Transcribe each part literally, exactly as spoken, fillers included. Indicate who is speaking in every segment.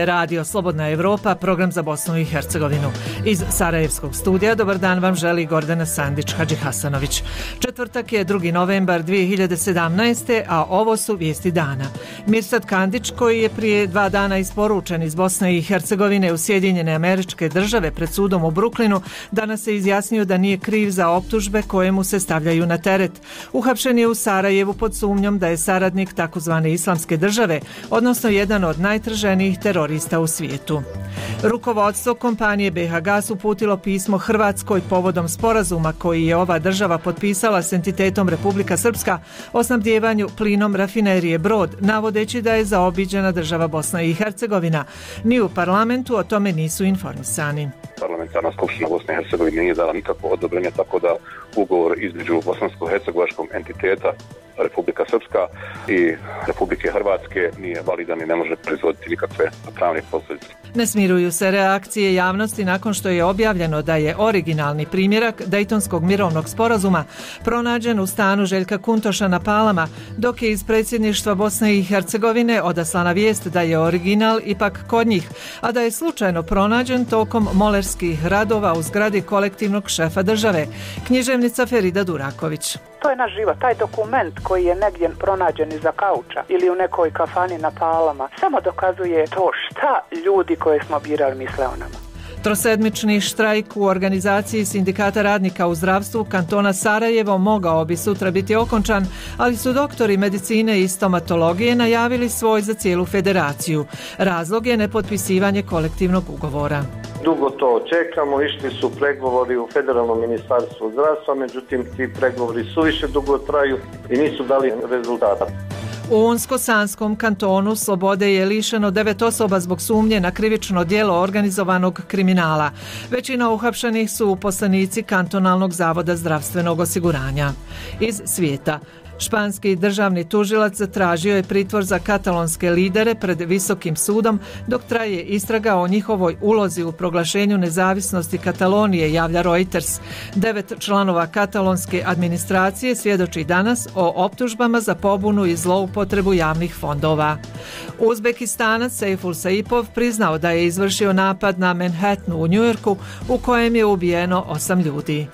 Speaker 1: je Radio Slobodna Evropa, program za Bosnu i Hercegovinu. Iz Sarajevskog studija dobar dan vam želi Gordana Sandić-Hadžihasanović. Četvrtak je drugi novembar dvije hiljade sedamnaeste. a ovo su vijesti dana. Mirsad Kandić, koji je prije dva dana isporučen iz Bosne i Hercegovine u Sjedinjene Američke Države pred sudom u Brooklynu, danas se izjasnio da nije kriv za optužbe koje mu se stavljaju na teret. Uhapšen je u Sarajevu pod sumnjom da je saradnik takozvane Islamske države, odnosno jedan od najtraženijih terorista u svijetu. Rukovodstvo kompanije B H Gas uputilo pismo Hrvatskoj povodom sporazuma koji je ova država potpisala s entitetom Republika Srpska o snabdijevanju plinom rafinerije Brod, navodeći da je zaobiđena država Bosna i Hercegovina. Ni u parlamentu o tome nisu informisani.
Speaker 2: Parlamentarna skupština Bosne i Hercegovine nije dala nikakvo odobrenje, tako da ugovor između bosansko-hercegovačkog entiteta Republika Srpska i Republike Hrvatske nije validan i ne može proizvoditi nikakve pravne posljedice.
Speaker 1: Ne smiruju se reakcije javnosti nakon što je objavljeno da je originalni primjerak Dejtonskog mirovnog sporazuma pronađen u stanu Željka Kuntoša na Palama, dok je iz predsjedništva Bosne i Hercegovine odaslana vijest da je original ipak kod njih, a da je slučajno pronađen tokom molerskih radova u zgradi kolektivnog šefa države. Književnica Ferida Duraković.
Speaker 3: To je naš život, taj dokument koji je negdje pronađen iza kauča ili u nekoj kafani na Palama samo dokazuje to šta ljudi koje smo birali misle o nama.
Speaker 1: Trosedmični štrajk u organizaciji sindikata radnika u zdravstvu kantona Sarajevo mogao bi sutra biti okončan, ali su doktori medicine i stomatologije najavili svoj za cijelu federaciju. Razlog je nepotpisivanje kolektivnog ugovora.
Speaker 4: Dugo to čekamo, išli su pregovori u Federalnom ministarstvu zdravstva, međutim ti pregovori suviše dugo traju i nisu dali rezultata.
Speaker 1: U Unsko-Sanskom kantonu slobode je lišeno devet osoba zbog sumnje na krivično djelo organizovanog kriminala. Većina uhapšenih su uposlenici kantonalnog zavoda zdravstvenog osiguranja. Iz svijeta. Španski državni tužilac zatražio je pritvor za katalonske lidere pred Visokim sudom dok traje istraga o njihovoj ulozi u proglašenju nezavisnosti Katalonije, javlja Reuters. Devet članova katalonske administracije svjedoči danas o optužbama za pobunu i zloupotrebu javnih fondova. Uzbekistanac Sejful Saipov priznao da je izvršio napad na Manhattanu u Njujorku u kojem je ubijeno osam ljudi.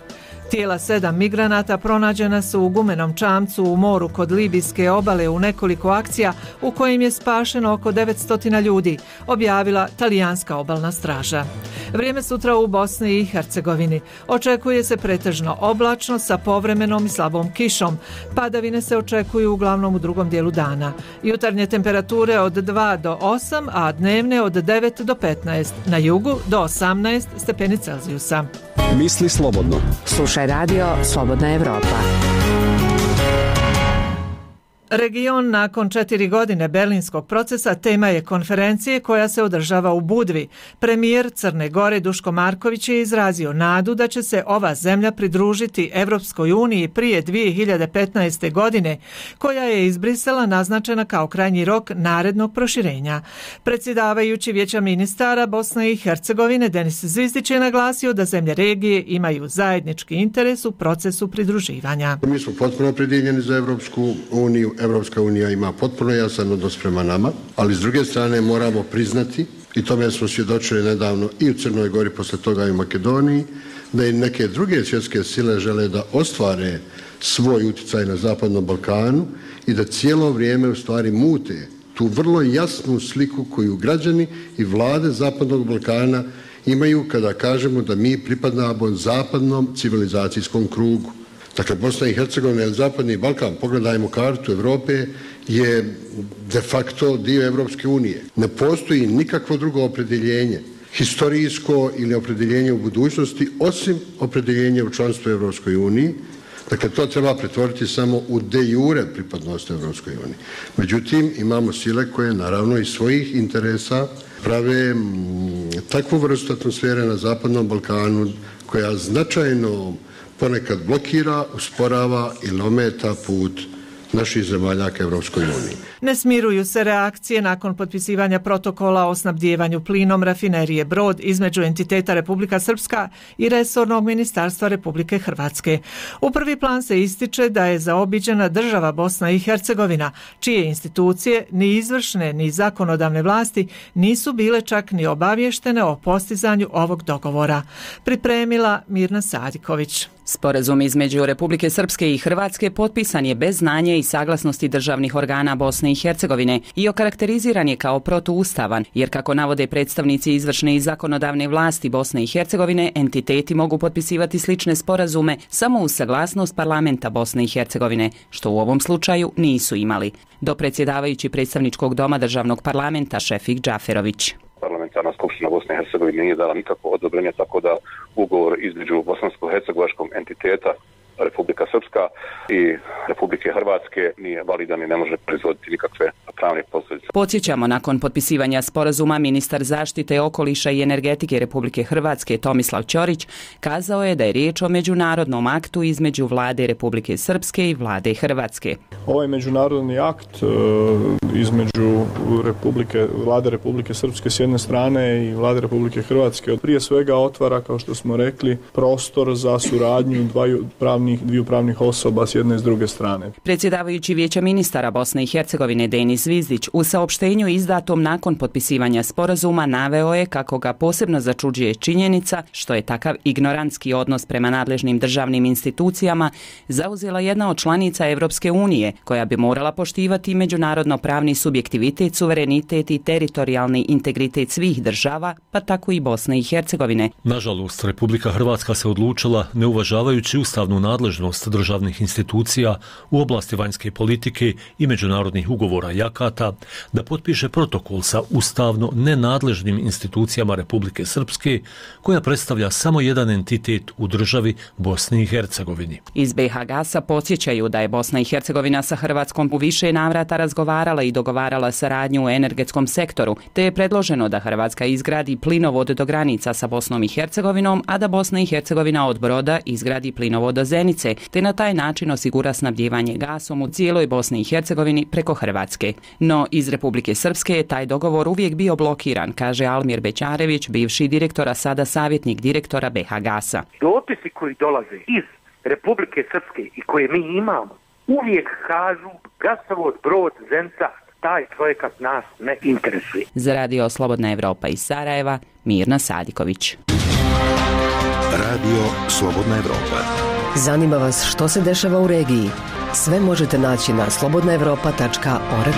Speaker 1: Tijela sedam migranata pronađena su u gumenom čamcu u moru kod libijske obale u nekoliko akcija u kojim je spašeno oko devetsto ljudi, objavila talijanska obalna straža. Vrijeme sutra u Bosni i Hercegovini. Očekuje se pretežno oblačno sa povremenom i slabom kišom. Padavine se očekuju uglavnom u drugom dijelu dana. Jutarnje temperature od dva do osam, a dnevne od devet do petnaest. Na jugu do osamnaest stepeni Celzijusa.
Speaker 5: Misli slobodno.
Speaker 6: Slušaj radio Slobodna Evropa.
Speaker 1: Region nakon četiri godine berlinskog procesa tema je konferencije koja se održava u Budvi. Premijer Crne Gore Duško Marković je izrazio nadu da će se ova zemlja pridružiti Evropskoj uniji prije dvije hiljade petnaeste. godine, koja je iz Brisela naznačena kao krajnji rok narednog proširenja. Predsjedavajući Vijeća ministara Bosne i Hercegovine Denis Zvizdić je naglasio da zemlje regije imaju zajednički interes u procesu pridruživanja.
Speaker 7: Mi smo potpuno opredjeljeni za Evropsku uniju. Evropska unija ima potpuno jasan odnos prema nama, ali s druge strane moramo priznati, i tome smo svjedočili nedavno i u Crnoj Gori, posle toga i u Makedoniji, da i neke druge svjetske sile žele da ostvare svoj utjecaj na Zapadnom Balkanu i da cijelo vrijeme u stvari mute tu vrlo jasnu sliku koju građani i vlade Zapadnog Balkana imaju kada kažemo da mi pripadamo zapadnom civilizacijskom krugu. Dakle, Bosna i Hercegovina ili Zapadni Balkan, pogledajmo kartu Europe, je de facto dio Evropske unije. Ne postoji nikakvo drugo opredjeljenje, historijsko ili opredjeljenje u budućnosti, osim opredjeljenja u članstvu Evropskoj uniji. Dakle, to treba pretvoriti samo u de jure pripadnost Evropskoj uniji. Međutim, imamo sile koje naravno iz svojih interesa prave m, takvu vrstu atmosfere na Zapadnom Balkanu koja značajno ponekad blokira, usporava ili ometa put naših zemalja ka Evropskoj uniji.
Speaker 1: Ne smiruju se reakcije nakon potpisivanja protokola o snabdijevanju plinom rafinerije Brod između entiteta Republika Srpska i resornog ministarstva Republike Hrvatske. U prvi plan se ističe da je zaobiđena država Bosna i Hercegovina, čije institucije ni izvršne ni zakonodavne vlasti nisu bile čak ni obavještene o postizanju ovog dogovora. Pripremila Mirna Sadiković.
Speaker 5: Sporazum između Republike Srpske i Hrvatske potpisan je bez znanja i saglasnosti državnih organa Bosne i Hercegovine i okarakteriziran je kao protuustavan, jer kako navode predstavnici izvršne i zakonodavne vlasti Bosne i Hercegovine, entiteti mogu potpisivati slične sporazume samo uz saglasnost parlamenta Bosne i Hercegovine, što u ovom slučaju nisu imali. Dopredsjedavajući predstavničkog doma državnog parlamenta Šefik Džaferović.
Speaker 2: Parlamentarna skupština Bosne i Hercegovine nije dala nikakvo odobrenje, tako da ugovor između bosansko-hercegovačkog entiteta Republika Srpska i Republike Hrvatske nije validan i ne može proizvoditi nikakve pravne posljedice.
Speaker 5: Podsjećamo, nakon potpisivanja sporazuma, ministar zaštite okoliša i energetike Republike Hrvatske Tomislav Ćorić kazao je da je riječ o međunarodnom aktu između vlade Republike Srpske i vlade Hrvatske.
Speaker 8: Ovaj međunarodni akt između Republike, vlade Republike Srpske s jedne strane i vlade Republike Hrvatske prije svega otvara, kao što smo rekli, prostor za suradnju dvaju pravnih, dviju pravnih osoba s jedne i s druge strane.
Speaker 5: Predsjedavajući Vijeća ministara Bosne i Hercegovine Denis Zvizdić u saopštenju izdatom nakon potpisivanja sporazuma naveo je kako ga posebno začuđuje činjenica što je takav ignorantski odnos prema nadležnim državnim institucijama zauzela jedna od članica Evropske unije, koja bi morala poštivati međunarodno pravni subjektivitet, suverenitet i teritorijalni integritet svih država, pa tako i Bosne i Hercegovine.
Speaker 9: Nažalost, Republika Hrvatska se odlučila, ne uvažavajući ustavnu nadležnost državnih institucija u oblasti vanjske politike i međunarodnih ugovora i akata, da potpiše protokol sa ustavno nenadležnim institucijama Republike Srpske, koja predstavlja samo jedan entitet u državi Bosni i Hercegovini.
Speaker 5: Iz B H Gasa podsjećaju da je Bosna i Hercegovina sa Hrvatskom u više navrata razgovarala i dogovarala saradnju u energetskom sektoru, te je predloženo da Hrvatska izgradi plinovod do granica sa Bosnom i Hercegovinom, a da Bosna i Hercegovina od Broda izgradi plinovod do Zenice, te na taj način osigura snabdijevanje gasom u cijeloj Bosni i Hercegovini preko Hrvatske. No, iz Republike Srpske je taj dogovor uvijek bio blokiran, kaže Almir Bećarević, bivši direktor, a sada savjetnik direktora B H Gasa.
Speaker 10: Dopisi koji dolaze iz Republike Srpske i koje mi imamo, uvijek kažu gasovod Brod Zenica, taj projekat nas ne interesuje.
Speaker 5: Za radio Slobodna Evropa iz Sarajeva, Mirna Sadiković.
Speaker 11: Radio Slobodna Evropa.
Speaker 6: Zanima vas što se dešava u regiji? Sve možete naći na slobodna evropa tačka org.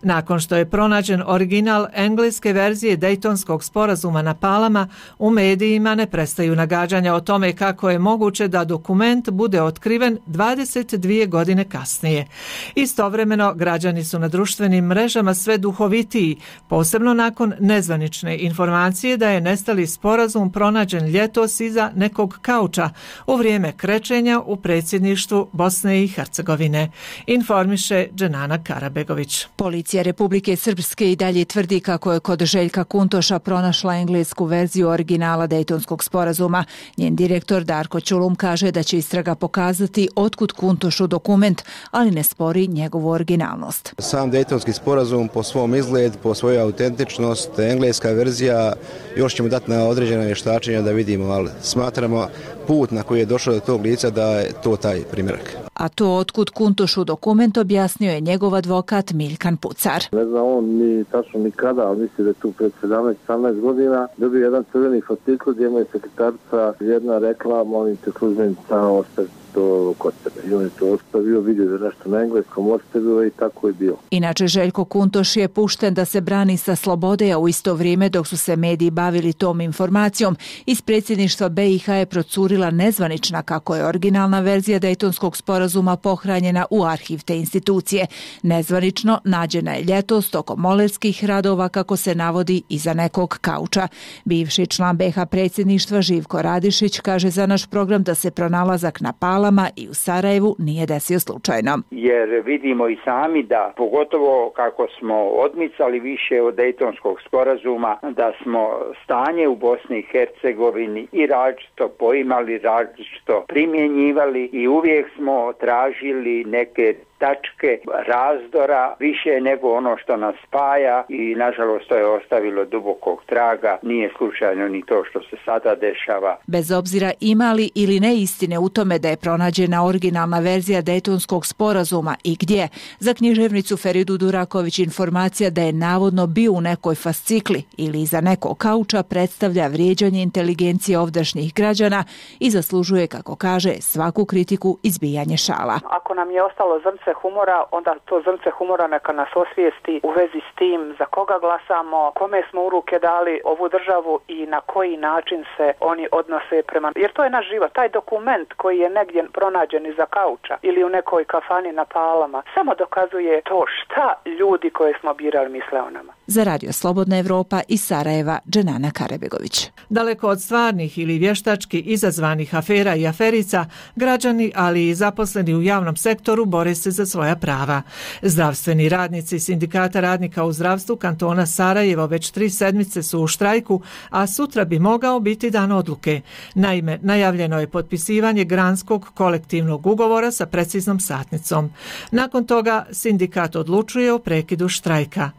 Speaker 1: Nakon što je pronađen original engleske verzije Dejtonskog sporazuma na Palama, u medijima ne prestaju nagađanja o tome kako je moguće da dokument bude otkriven dvadeset dvije godine kasnije. Istovremeno, građani su na društvenim mrežama sve duhovitiji, posebno nakon nezvanične informacije da je nestali sporazum pronađen ljetos iza nekog kauča u vrijeme krečenja u predsjedništvu Bosne i Hercegovine, informiše Dženana Karabegović.
Speaker 12: Policija Republike Srpske i dalje tvrdi kako je kod Željka Kuntoša pronašla englesku verziju originala Dejtonskog sporazuma. Njen direktor Darko Ćulum kaže da će istraga pokazati otkud Kuntošu dokument, ali ne spori njegovu originalnost.
Speaker 13: Sam Dejtonski sporazum po svom izgled, po svojoj autentičnost, engleska verzija, još ćemo dati na određena vještačenja da vidimo, ali smatramo put na koji je došao do tog lica da je to taj primjerak.
Speaker 12: A to otkud Kuntošu dokument objasnio je njegov advokat Miljkan Pucar.
Speaker 14: Ne zna on ni tačno ni kada, ali misli da je tu pred sedamnaest osamnaest godina dobio jedan crveni fascikl gdje mu je sekretarca jedna rekla, molim te službenica ostavi to kod sebe. I on je to ostavio, vidio da nešto na engleskom ostavio i tako je bilo.
Speaker 12: Inače, Željko Kuntoš je pušten da se brani sa slobode, a u isto vrijeme dok su se mediji bavili tom informacijom, iz predsjedništva B i H je procurila nezvanična kako je originalna verzija Dejtonskog sporazuma pohranjena u arhiv te institucije. Nezvanično nađena je ljetos tokom molerskih radova, kako se navodi, iza nekog kauča. Bivši član B H predsjedništva Živko Radišić kaže za naš program da se pronalazak na Palama Palama i u Sarajevu nije desio slučajno.
Speaker 11: Jer vidimo i sami da, pogotovo kako smo odmicali više od Dejtonskog sporazuma, da smo stanje u Bosni i Hercegovini i različito poimali, različito primjenjivali i uvijek smo tražili neke tačke razdora više nego ono što nas spaja i nažalost to je ostavilo dubokog traga. Nije slučajno ni to što se sada dešava.
Speaker 12: Bez obzira ima li ili ne istine u tome da je pronađena originalna verzija Dejtonskog sporazuma i gdje, za književnicu Feridu Duraković informacija da je navodno bio u nekoj fascikli ili iza nekog kauča predstavlja vrijeđanje inteligencije ovdašnjih građana i zaslužuje, kako kaže, svaku kritiku izbijanje šala.
Speaker 3: Ako nam je ostalo zrnce humora, onda to zrnce humora neka nas osvijesti u vezi s tim za koga glasamo, kome smo u ruke dali ovu državu i na koji način se oni odnose prema... Jer to je naš život, taj dokument koji je negdje pronađen iza kauča ili u nekoj kafani na Palama, samo dokazuje to šta ljudi koje smo birali misle o nama.
Speaker 12: Za Radio Slobodna Evropa iz Sarajeva, Dženana Karebegović.
Speaker 1: Daleko od stvarnih ili vještački izazvanih afera i aferica, građani, ali i zaposleni u javnom sektoru bore se za svoja prava. Zdravstveni radnici Sindikata radnika u zdravstvu kantona Sarajevo već tri sedmice su u štrajku, a sutra bi mogao biti dan odluke. Naime, najavljeno je potpisivanje granskog kolektivnog ugovora sa preciznom satnicom. Nakon toga sindikat odlučuje o prekidu štrajka.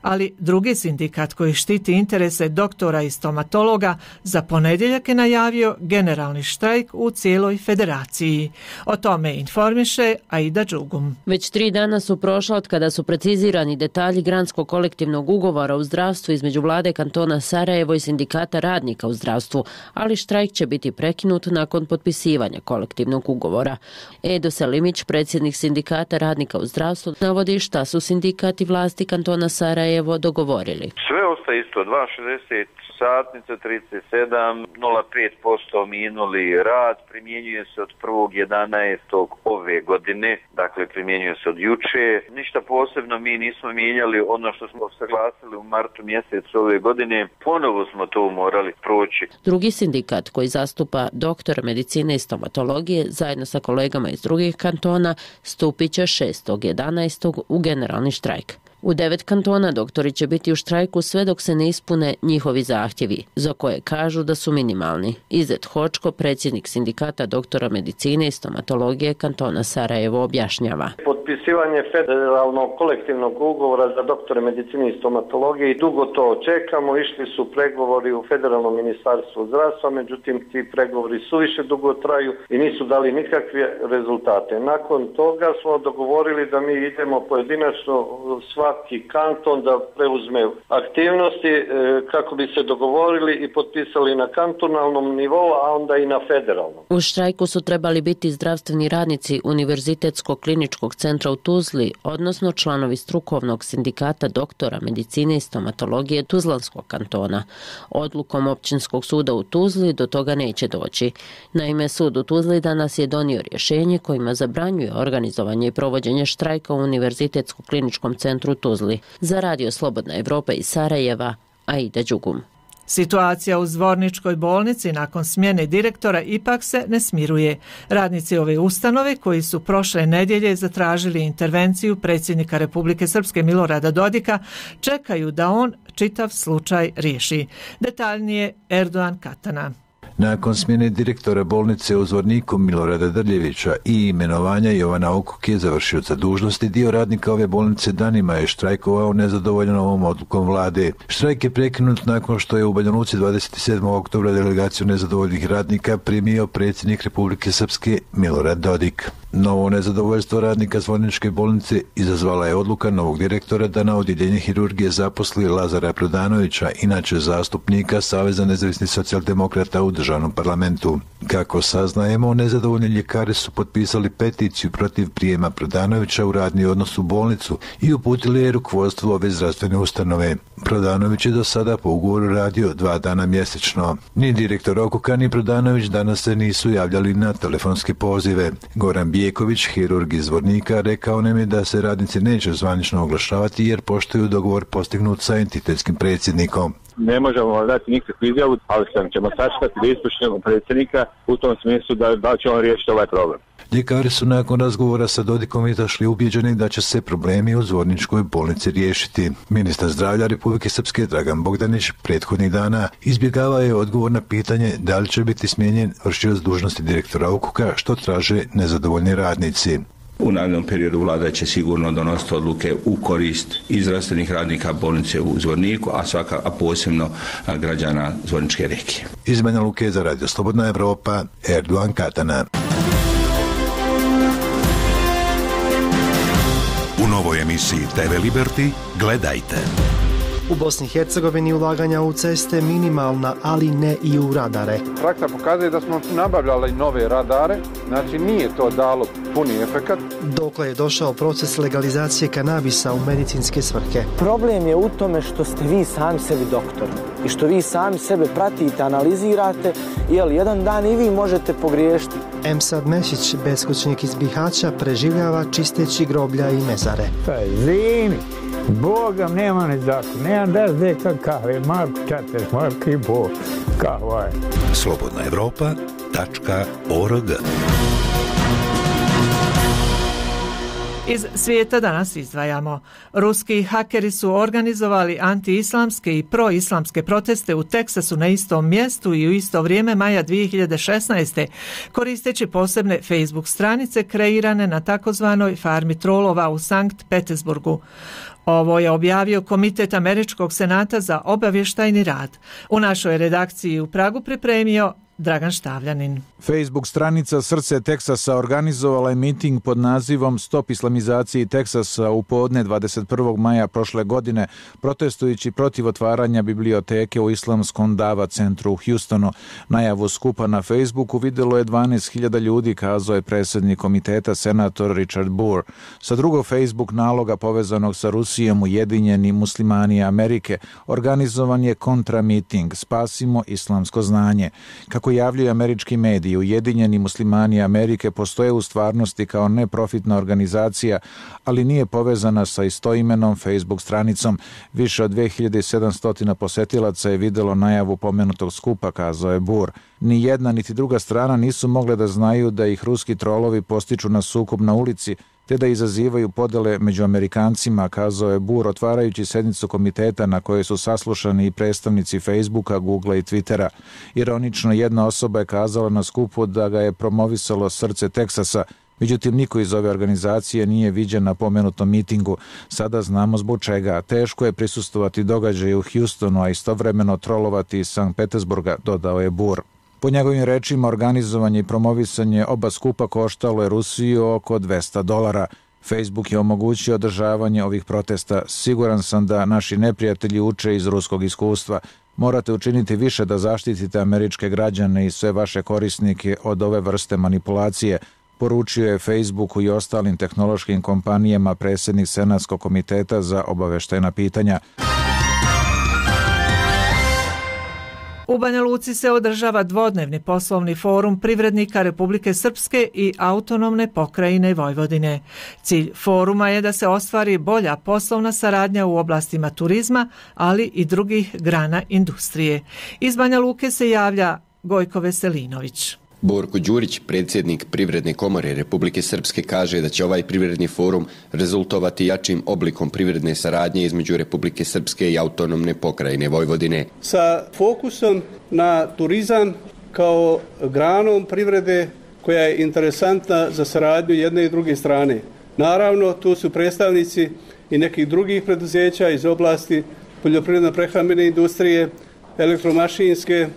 Speaker 1: Ali drugi sindikat koji štiti interese doktora i stomatologa za ponedjeljak je najavio generalni štrajk u cijeloj federaciji. O tome informiše Aida Đugum.
Speaker 15: Već tri dana su prošla od kada su precizirani detalji granskog kolektivnog ugovora u zdravstvu između vlade kantona Sarajevo i sindikata radnika u zdravstvu, ali štrajk će biti prekinut nakon potpisivanja kolektivnog ugovora. Edo Selimić, predsjednik sindikata radnika u zdravstvu, navodi šta su sindikat i vlasti kantona Sarajevo dogovorili.
Speaker 16: Sve ostaje isto, dva šezdeset satnica, trideset sedam, nula zarez pet posto minuli rad, primjenjuje se od prvog jedanaestog ove godine, dakle primjenjuje se od juče. Ništa posebno mi nismo mijenjali ono što smo saglasili u martu mjesecu ove godine, ponovo smo to morali proći.
Speaker 15: Drugi sindikat koji zastupa doktora medicine i stomatologije zajedno sa kolegama iz drugih kantona stupit će šestog jedanaestog u generalni štrajk. U devet kantona doktori će biti u štrajku sve dok se ne ispune njihovi zahtjevi, za koje kažu da su minimalni. Izet Hočko, predsjednik sindikata doktora medicine i stomatologije kantona Sarajevo, objašnjava.
Speaker 4: Potpisivanje federalnog kolektivnog ugovora za doktore medicine i stomatologije i dugo to čekamo. Išli su pregovori u federalnom ministarstvu zdravstva, međutim ti pregovori suviše dugo traju i nisu dali nikakve rezultate. Nakon toga smo dogovorili da mi idemo pojedinačno sva svaki kanton da preuzme aktivnosti kako bi se dogovorili i potpisali na kantonalnom nivou, a onda i na federalnom.
Speaker 15: U štrajku su trebali biti zdravstveni radnici Univerzitetskog kliničkog centra u Tuzli, odnosno članovi strukovnog sindikata doktora medicine i stomatologije Tuzlanskog kantona. Odlukom općinskog suda u Tuzli do toga neće doći. Naime, sud u Tuzli danas je donio rješenje kojima zabranjuje organizovanje i provođenje štrajka u Univerzitetskom kliničkom centru Tuzli. Za Radio Slobodna Evropa iz Sarajeva, Aida Đugum.
Speaker 1: Situacija u Zvorničkoj bolnici nakon smjene direktora ipak se ne smiruje. Radnici ove ustanove koji su prošle nedjelje zatražili intervenciju predsjednika Republike Srpske Milorada Dodika čekaju da on čitav slučaj riješi. Detaljnije Erdogan Katana.
Speaker 17: Nakon smjene direktora bolnice u Zvorniku Milorada Drljevića i imenovanja Jovana Okuke završioca dužnosti, dio radnika ove bolnice danima je štrajkovao nezadovoljan ovom odlukom vlade. Štrajk je prekinut nakon što je u Banja Luci dvadeset sedmog oktobra delegaciju nezadovoljnih radnika primio predsjednik Republike Srpske Milorad Dodik. Novo nezadovoljstvo radnika Zvorničke bolnice izazvala je odluka novog direktora da na odjeljenje hirurgije zaposli Lazara Prodanovića, inače zastupnika Saveza nezavisnih socijaldemokrata u državnom parlamentu. Kako saznajemo, nezadovoljni ljekari su potpisali peticiju protiv prijema Prodanovića u radni odnos u bolnicu i uputili je rukovodstvu ove zdravstvene ustanove. Prodanović je do sada po ugovoru radio dva dana mjesečno. Ni direktor Okuka ni Prodanović danas se nisu javljali na telefonske pozive. Goran Bijeković, hirurg iz Zvornika, rekao nam je da se radnici neće zvanično oglašavati jer poštuju dogovor postignut sa entitetskim predsjednikom.
Speaker 18: Ne možemo dati nikakvu izjavu, ali sam ćemo sačekati da ispuštimo predsjednika u tom smislu da, da će on riješiti ovaj problem.
Speaker 17: Ljekari su nakon razgovora sa Dodikom izašli ubjeđeni da će se problemi u Zvorničkoj bolnici riješiti. Ministar zdravlja Republike Srpske Dragan Bogdanić prethodnih dana izbjegavao je odgovor na pitanje da li će biti smijenjen vršilac dužnosti direktora U K U K-a, što traže nezadovoljni radnici.
Speaker 19: U narednom periodu vlada će sigurno donositi odluke u korist i zdravstvenih radnika bolnice u Zvorniku, a svaka, a posebno građana Zvorničke regije.
Speaker 17: Iz Banja Luke za Radio Slobodna Evropa, Erdogan Katana.
Speaker 20: U novoj emisiji T V Liberty gledajte.
Speaker 21: U Bosni i Hercegovini ulaganja u ceste minimalna, ali ne i u radare.
Speaker 22: Praksa pokazuje da smo nabavljali nove radare, znači nije to dalo puni efekat.
Speaker 21: Dokle je došao proces legalizacije kanabisa u medicinske svrhe.
Speaker 23: Problem je u tome što ste vi sami sebi doktor i što vi sami sebe pratite, analizirate, jer jedan dan i vi možete pogriješiti.
Speaker 21: Emsad Mešić, beskućnik iz Bihaća, preživljava čisteći groblja i mezare.
Speaker 24: Pa zimi, Bogam nema ni zakon, nemam da zde kakave, Marko četiri, Marko i Bog, kakva je.
Speaker 20: Slobodna Evropa tačka org.
Speaker 1: Iz svijeta danas izdvajamo. Ruski hakeri su organizovali anti-islamske i pro-islamske proteste u Teksasu na istom mjestu i u isto vrijeme maja dvije hiljade šesnaeste. koristeći posebne Facebook stranice kreirane na takozvanoj farmi trolova u Sankt Petersburgu. Ovo je objavio Komitet Američkog senata za obavještajni rad. U našoj redakciji u Pragu pripremio Dragan Štavljanin.
Speaker 25: Facebook stranica Srce Teksasa organizovala je miting pod nazivom Stop islamizaciji Teksasa u podne dvadeset prvog maja prošle godine, protestujući protiv otvaranja biblioteke u islamskom Dava centru u Houstonu. Najavu skupa na Facebooku vidjelo je dvanaest hiljada ljudi, kazao je predsjednik komiteta senator Richard Burr. Sa drugog Facebook naloga povezanog sa Rusijom Ujedinjeni muslimani Amerike organizovan je kontramiting Spasimo islamsko znanje. Kako javljaju američki mediji, Ujedinjeni muslimani Amerike postoje u stvarnosti kao neprofitna organizacija, ali nije povezana sa istoimenom Facebook stranicom. Više od dve hiljade sedamsto posjetilaca je vidjelo najavu pomenutog skupa, kazao je Burr. Ni jedna niti druga strana nisu mogle da znaju da ih ruski trolovi postiču na sukob na ulici, te da izazivaju podele među Amerikancima, kazao je Burr, otvarajući sednicu komiteta na kojoj su saslušani i predstavnici Facebooka, Googlea i Twittera. Ironično, jedna osoba je kazala na skupu da ga je promovisalo Srce Teksasa, međutim niko iz ove organizacije nije viđen na pomenutom mitingu. Sada znamo zbog čega. Teško je prisustvovati događaju u Houstonu, a istovremeno trolovati iz Sankt Petersburga, dodao je Burr. Po njegovim rečima, organizovanje i promovisanje oba skupa koštalo je Rusiju oko dvesta dolara. Facebook je omogućio održavanje ovih protesta. Siguran sam da naši neprijatelji uče iz ruskog iskustva. Morate učiniti više da zaštitite američke građane i sve vaše korisnike od ove vrste manipulacije, poručio je Facebooku i ostalim tehnološkim kompanijama predsjednik Senatskog komiteta za obavještajna pitanja.
Speaker 1: U Banja Luci se održava dvodnevni poslovni forum privrednika Republike Srpske i autonomne pokrajine Vojvodine. Cilj foruma je da se ostvari bolja poslovna saradnja u oblastima turizma, ali i drugih grana industrije. Iz Banja Luke se javlja Gojko Veselinović.
Speaker 26: Borko Đurić, predsjednik Privredne komore Republike Srpske, kaže da će ovaj privredni forum rezultovati jačim oblikom privredne saradnje između Republike Srpske i autonomne pokrajine Vojvodine.
Speaker 27: Sa fokusom na turizam kao granom privrede koja je interesantna za saradnju jedne i druge strane. Naravno, tu su predstavnici i nekih drugih preduzeća iz oblasti poljoprivredno-prehrambene industrije, elektromašinske,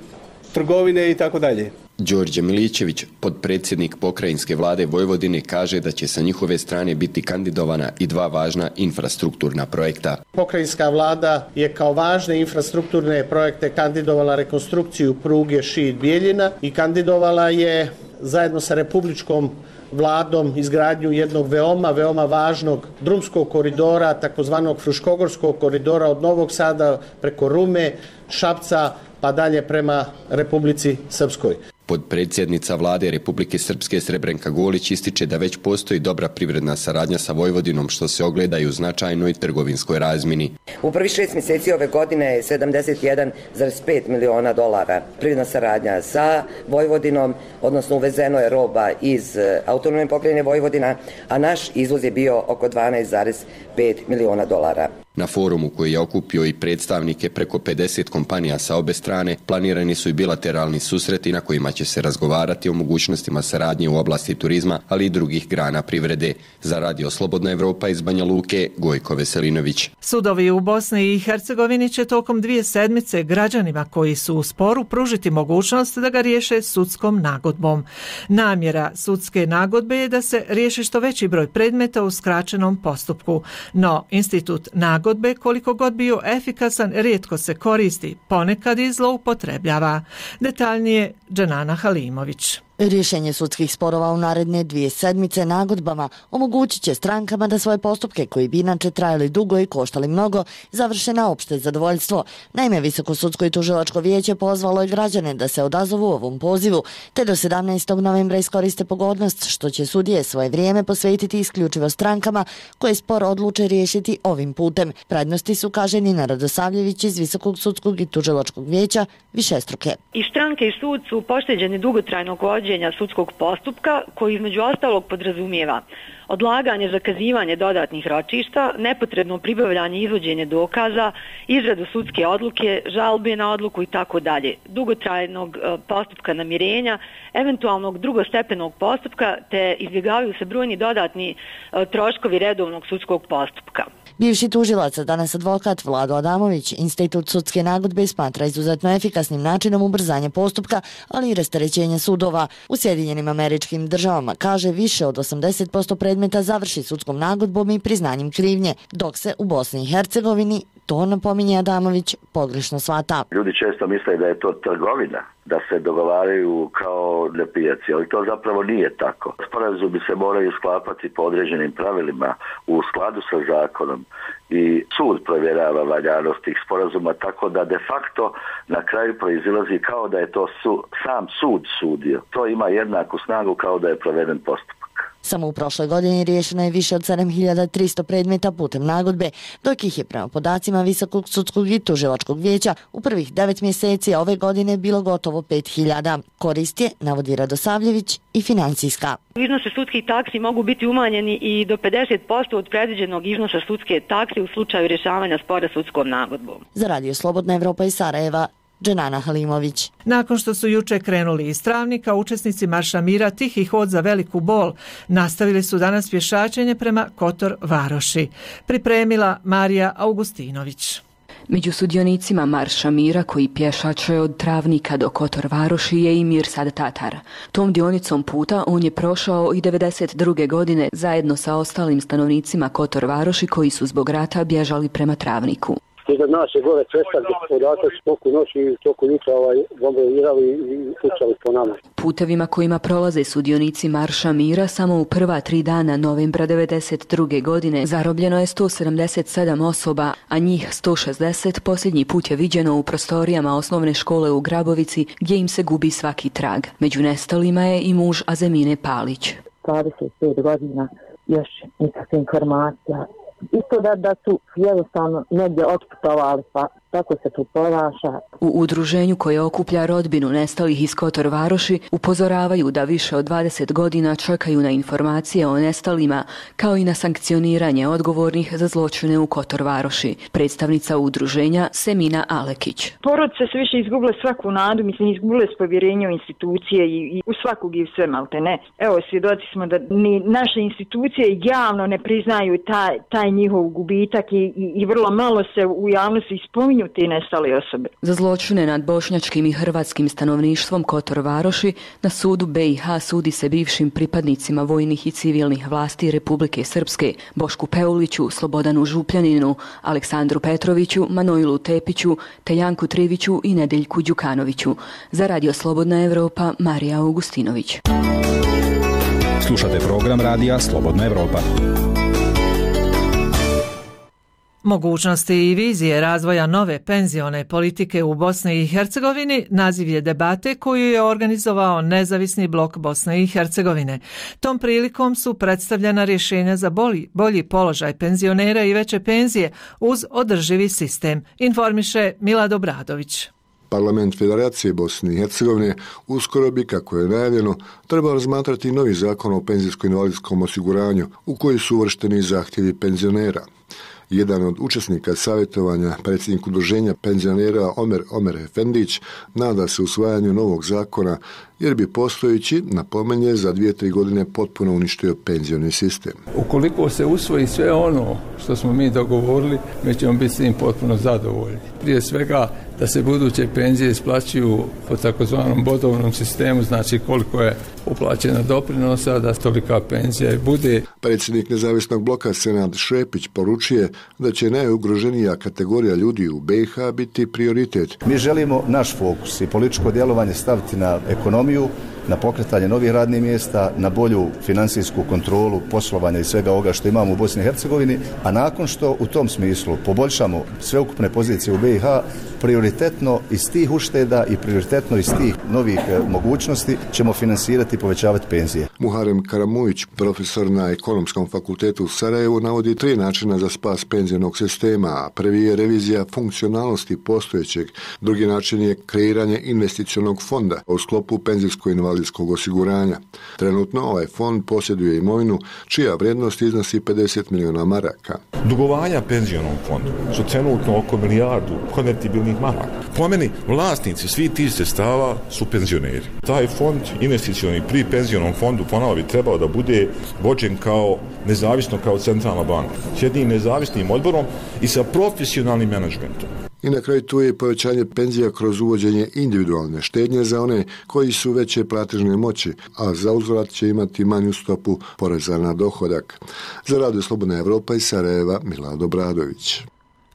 Speaker 27: trgovine i tako dalje.
Speaker 26: Đorđe Milićević, podpredsjednik pokrajinske vlade Vojvodine, kaže da će sa njihove strane biti kandidovana i dva važna infrastrukturna projekta.
Speaker 28: Pokrajinska vlada je kao važne infrastrukturne projekte kandidovala rekonstrukciju pruge Šid-Bijeljina i kandidovala je zajedno sa republičkom vladom izgradnju jednog veoma, veoma važnog drumskog koridora, takozvanog Fruškogorskog koridora od Novog Sada preko Rume, Šapca, pa dalje prema Republici Srpskoj.
Speaker 26: Podpredsjednica vlade Republike Srpske Srebrenka Golić ističe da već postoji dobra privredna saradnja sa Vojvodinom, što se ogleda i u značajnoj trgovinskoj razmjeni.
Speaker 2: U prvih šest mjeseci ove godine je sedamdeset jedan zarez pet miliona dolara privredna saradnja sa Vojvodinom, odnosno uvezeno je roba iz autonomne pokrajine Vojvodina, a naš izvoz je bio oko dvanaest zarez pet miliona dolara.
Speaker 26: Na forumu koji je okupio i predstavnike preko pedeset kompanija sa obe strane, planirani su i bilateralni susreti na kojima će se razgovarati o mogućnostima saradnje u oblasti turizma, ali i drugih grana privrede. Za Radio Slobodna Evropa iz Banja Luke, Gojko Veselinović.
Speaker 1: Sudovi u Bosni i Hercegovini će tokom dvije sedmice građanima koji su u sporu pružiti mogućnost da ga riješe sudskom nagodbom. Namjera sudske nagodbe je da se riješi što veći broj predmeta u skraćenom postupku, no institut nagodbe Nagodbe, koliko god bio efikasan, rijetko se koristi, ponekad i zloupotrebljava. Detaljnije Dženana Halimović.
Speaker 5: Rješenje sudskih sporova u naredne dvije sedmice nagodbama omogućit će strankama da svoje postupke, koji bi inače trajali dugo i koštali mnogo, završe na opšte zadovoljstvo. Naime, Visoko sudsko i tužilačko vijeće pozvalo je građane da se odazovu ovom pozivu, te do sedamnaestog novembra iskoriste pogodnost što će sudije svoje vrijeme posvetiti isključivo strankama koje spor odluče riješiti ovim putem. Prednosti su, kaže Nina Radosavljević iz Visokog sudskog i tužilačkog vijeća, višestruke.
Speaker 6: I stranke i sud su pošteđeni dugotrajnog vođenja sudskog postupka, koji između ostalog podrazumijeva odlaganje, zakazivanje dodatnih ročišta, nepotrebno pribavljanje i izvođenje dokaza, izradu sudske odluke, žalbe na odluku i tako dalje, dugotrajnog postupka namirenja, eventualnog drugostepenog postupka, te izbjegavaju se brojni dodatni troškovi redovnog sudskog postupka.
Speaker 5: Bivši tužilac, danas advokat Vlado Adamović, institut sudske nagodbe smatra izuzetno efikasnim načinom ubrzanja postupka, ali i rasterećenja sudova. U Sjedinjenim Američkim Državama, kaže, više od osamdeset posto predmeta završi sudskom nagodbom i priznanjem krivnje, dok se u Bosni i Hercegovini, to napominje Adamović, pogrešno shvata.
Speaker 7: Ljudi često misle da je to trgovina, da se dogovaraju kao nepijaci, ali to zapravo nije tako. Sporazumi se moraju sklapati po određenim pravilima u skladu sa zakonom i sud provjerava valjanost tih sporazuma, tako da de facto na kraju proizilazi kao da je to su, sam sud sudio. To ima jednaku snagu kao da je proveden postupak.
Speaker 5: Samo u prošloj godini riješeno je više od sedam hiljada tristo predmeta putem nagodbe, dok ih je prema podacima Visokog sudskog i tužilačkog vijeća u prvih devet mjeseci ove godine bilo gotovo pet hiljada. Korist je, navodi Radosavljević, i financijska.
Speaker 6: Iznose sudskih taksi mogu biti umanjeni i do pedeset posto od predviđenog iznosa sudske takse u slučaju rješavanja spora sudskom nagodbom.
Speaker 5: Za Radio Slobodna Evropa iz Sarajeva, Dženana Halimović.
Speaker 1: Nakon što su juče krenuli iz Travnika, učesnici Marša mira Tihi hod za veliku bol nastavili su danas pješačenje prema Kotor Varoši. Pripremila Marija Augustinović.
Speaker 8: Među sudionicima Marša mira koji pješače od Travnika do Kotor Varoši je i Mirsad Tatar. Tom dionicom puta on je prošao i devedeset druge godine zajedno sa ostalim stanovnicima Kotor Varoši koji su zbog rata bježali prema Travniku.
Speaker 9: Iza nas je gore cesta gdje podatak toku noći i toku jutra ovaj, bombardirali i pucali po nama.
Speaker 8: Putevima kojima prolaze sudionici Marša mira samo u prva tri dana novembra devedeset druge godine zarobljeno je sto sedamdeset sedam osoba, a njih sto šezdeset posljednji put je viđeno u prostorijama osnovne škole u Grabovici gdje im se gubi svaki trag. Među nestalima je i muž Azemine Palić.
Speaker 10: dvadeset pet godina, još nikakve informacija. Isto da, da su jednostavno negdje otputovali, pa tako se tu ponaša.
Speaker 8: U udruženju koje okuplja rodbinu nestalih iz Kotor Varoši upozoravaju da više od dvadeset godina čekaju na informacije o nestalima, kao i na sankcioniranje odgovornih za zločine u Kotor Varoši. Predstavnica udruženja Semina Alekić.
Speaker 13: Porodice su više izgubile svaku nadu, mislim, izgubile s povjerenje u institucije i, i u svakog i u sve malte ne. Evo, svjedoci smo da ni naše institucije javno ne priznaju taj, taj njihov gubitak i, i, i vrlo malo se u javnosti spominju te nestale osobe.
Speaker 8: Za zločine nad bošnjačkim i hrvatskim stanovništvom Kotor Varoši na sudu B i H sudi se bivšim pripadnicima vojnih i civilnih vlasti Republike Srpske, Bošku Peuliću, Slobodanu Župljaninu, Aleksandru Petroviću, Manojlu Tepiću, te Janku Triviću i Nedeljku Đukanoviću. Za Radio Slobodna Evropa, Marija Augustinović.
Speaker 29: Slušate program Radija Slobodna Evropa.
Speaker 1: Mogućnosti i vizije razvoja nove penzione politike u Bosni i Hercegovini naziv je debate koju je organizovao Nezavisni blok Bosne i Hercegovine. Tom prilikom su predstavljena rješenja za bolji, bolji položaj penzionera i veće penzije uz održivi sistem, informiše Milad Obradović.
Speaker 3: Parlament Federacije Bosne i Hercegovine uskoro bi, kako je najavljeno, trebao razmatrati novi zakon o penzijsko-invalidskom osiguranju u koji su uvršteni zahtjevi penzionera. Jedan od učesnika savjetovanja, predsjednik udruženja penzionera Omer Omer Efendić, nada se usvajanju novog zakona jer bi postojeći, napomenje, za dvije, tri godine potpuno uništio penzioni sistem.
Speaker 4: Ukoliko se usvoji sve ono što smo mi dogovorili, mi ćemo biti s tim potpuno zadovoljni. Prije svega da se buduće penzije isplaćuju po takozvanom bodovnom sistemu, znači koliko je uplaćena doprinosa, da tolika penzija i bude.
Speaker 3: Predsjednik Nezavisnog bloka Senad Šepić poručuje da će najugroženija kategorija ljudi u B i H biti prioritet.
Speaker 11: Mi želimo naš fokus i političko djelovanje staviti na ekonomiju, na pokretanje novih radnih mjesta, na bolju financijsku kontrolu poslovanja i svega ovoga što imamo u Bosni i Hercegovini, a nakon što u tom smislu poboljšamo sveukupne pozicije u B i H, prioritetno iz tih ušteda i prioritetno iz tih novih mogućnosti ćemo finansirati i povećavati penzije.
Speaker 3: Muharem Karamujić, profesor na Ekonomskom fakultetu u Sarajevu, navodi tri načina za spas penzionog sistema. Prvi je revizija funkcionalnosti postojećeg, drugi način je kreiranje investicionog fonda u sklopu penzijsko-invalidskog osiguranja. Trenutno ovaj fond posjeduje imovinu čija vrijednost iznosi pedeset milijuna maraka.
Speaker 12: Dugovanja penzionom fondu su trenutno oko milijardu konvertibilnih maraka. Po meni, vlasnici svih tih sredstava su penzioneri. Taj fond investicioni pri penzionom fondu ponovo bi trebao da bude vođen kao nezavisno kao centralna banka, s jednim nezavisnim odborom i sa profesionalnim menadžmentom.
Speaker 3: I na kraju tu je povećanje penzija kroz uvođenje individualne štednje za one koji su veće platežne moći, a za uzvrat će imati manju stopu poreza na dohodak. Za Radio Slobodna Evropa iz Sarajeva, Milad Obradović.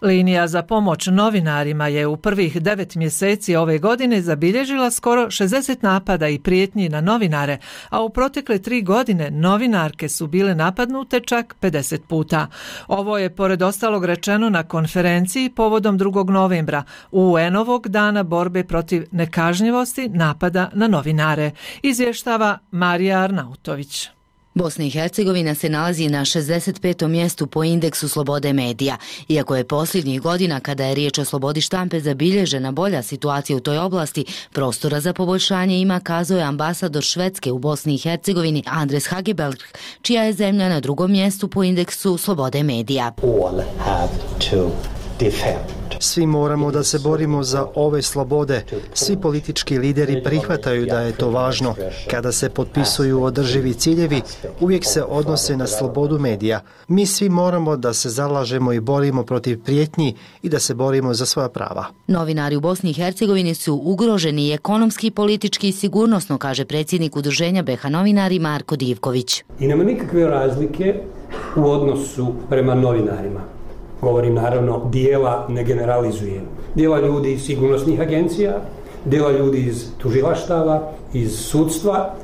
Speaker 1: Linija za pomoć novinarima je u prvih devet mjeseci ove godine zabilježila skoro šezdeset napada i prijetnji na novinare, a u protekle tri godine novinarke su bile napadnute čak pedeset puta. Ovo je pored ostalog rečeno na konferenciji povodom drugog novembra, U En-ovog dana borbe protiv nekažnjivosti napada na novinare, izvještava Marija Arnautović.
Speaker 14: Bosna i Hercegovina se nalazi na šezdeset petom mjestu po indeksu slobode medija. Iako je posljednjih godina, kada je riječ o slobodi štampe, zabilježena bolja situacija u toj oblasti, prostora za poboljšanje ima, kazao je ambasador Švedske u Bosni i Hercegovini Andres Hageberg, čija je zemlja na drugom mjestu po indeksu slobode medija.
Speaker 15: All have to defend.
Speaker 21: Svi moramo da se borimo za ove slobode. Svi politički lideri prihvataju da je to važno. Kada se potpisuju održivi ciljevi, uvijek se odnose na slobodu medija. Mi svi moramo da se zalažemo i borimo protiv prijetnji i da se borimo za svoja prava.
Speaker 14: Novinari u Bosni i Hercegovini su ugroženi i ekonomski, politički i sigurnosno, kaže predsjednik udruženja B i H novinari Marko Divković.
Speaker 16: I nema nikakve razlike u odnosu prema novinarima. Govorim naravno, dijela ne generalizujem. Dijela ljudi iz sigurnosnih agencija, dijela ljudi iz tužilaštava, iz sudstva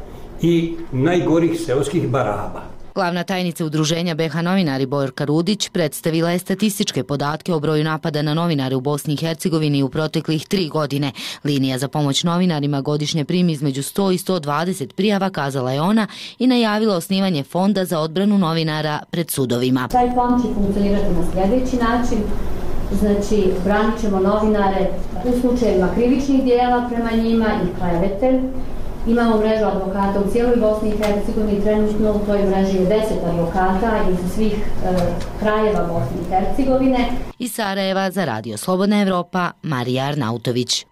Speaker 16: i najgorih seoskih baraba.
Speaker 14: Glavna tajnica udruženja B i H novinari Bojorka Rudić predstavila je statističke podatke o broju napada na novinare u Bosni i Hercegovini u proteklih tri godine. Linija za pomoć novinarima godišnje primi između sto i sto dvadeset prijava, kazala je ona, i najavila osnivanje fonda za odbranu novinara pred sudovima.
Speaker 18: Taj fond će funkcionirati na sljedeći način. Znači, branit ćemo novinare u slučajevima krivičnih dijela prema njima i klevete. Imamo mrežu advokata u cijeloj Bosni i Hercegovini, trenutno u toj mreži je deset advokata iz svih e, krajeva Bosne i Hercegovine.
Speaker 14: Iz Sarajeva za Radio Slobodna Evropa, Marija Arnautović.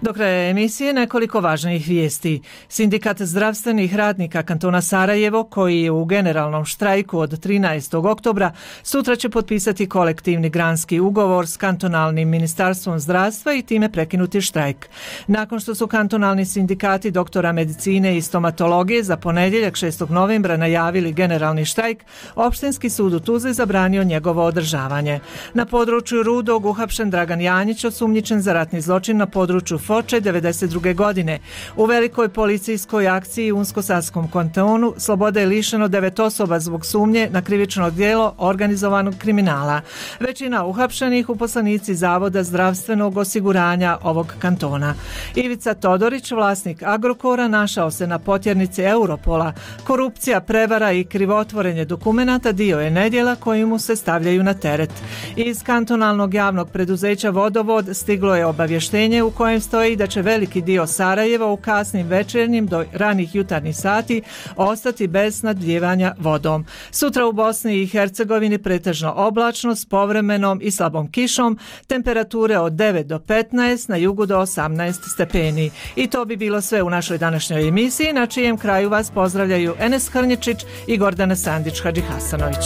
Speaker 1: Do kraja emisije nekoliko važnih vijesti. Sindikat zdravstvenih radnika kantona Sarajevo, koji je u generalnom štrajku od trinaestog oktobra, sutra će potpisati kolektivni granski ugovor s kantonalnim ministarstvom zdravstva i time prekinuti štrajk. Nakon što su kantonalni sindikati doktora medicine i stomatologije za ponedjeljak šestog novembra najavili generalni štrajk, Opštinski sud u Tuzli zabranio njegovo održavanje. Na području Rudog uhapšen Dragan Janjić, osumnjičen za ratni zločin na području Foče devedeset druge godine. U velikoj policijskoj akciji u Unsko-Sanskom kantonu slobode je lišeno devet osoba zbog sumnje na krivično djelo organizovanog kriminala. Većina uhapšenih uposlenici Zavoda zdravstvenog osiguranja ovog kantona. Ivica Todorić, vlasnik Agrokora, našao se na potjernici Europola. Korupcija, prevara i krivotvorenje dokumenata dio je nedjela koji mu se stavljaju na teret. Iz kantonalnog javnog preduzeća Vodovod stiglo je obavještenje u kojem stoji da će veliki dio Sarajeva u kasnim večernjim do ranih jutarnjih sati ostati bez snabdijevanja vodom. Sutra u Bosni i Hercegovini pretežno oblačno s povremenom i slabom kišom, temperature od devet do petnaest, na jugu do osamnaest stepeni. I to bi bilo sve u našoj današnjoj emisiji, na čijem kraju vas pozdravljaju Enes Hrnječić i Gordana Sandić Hadžihasanović.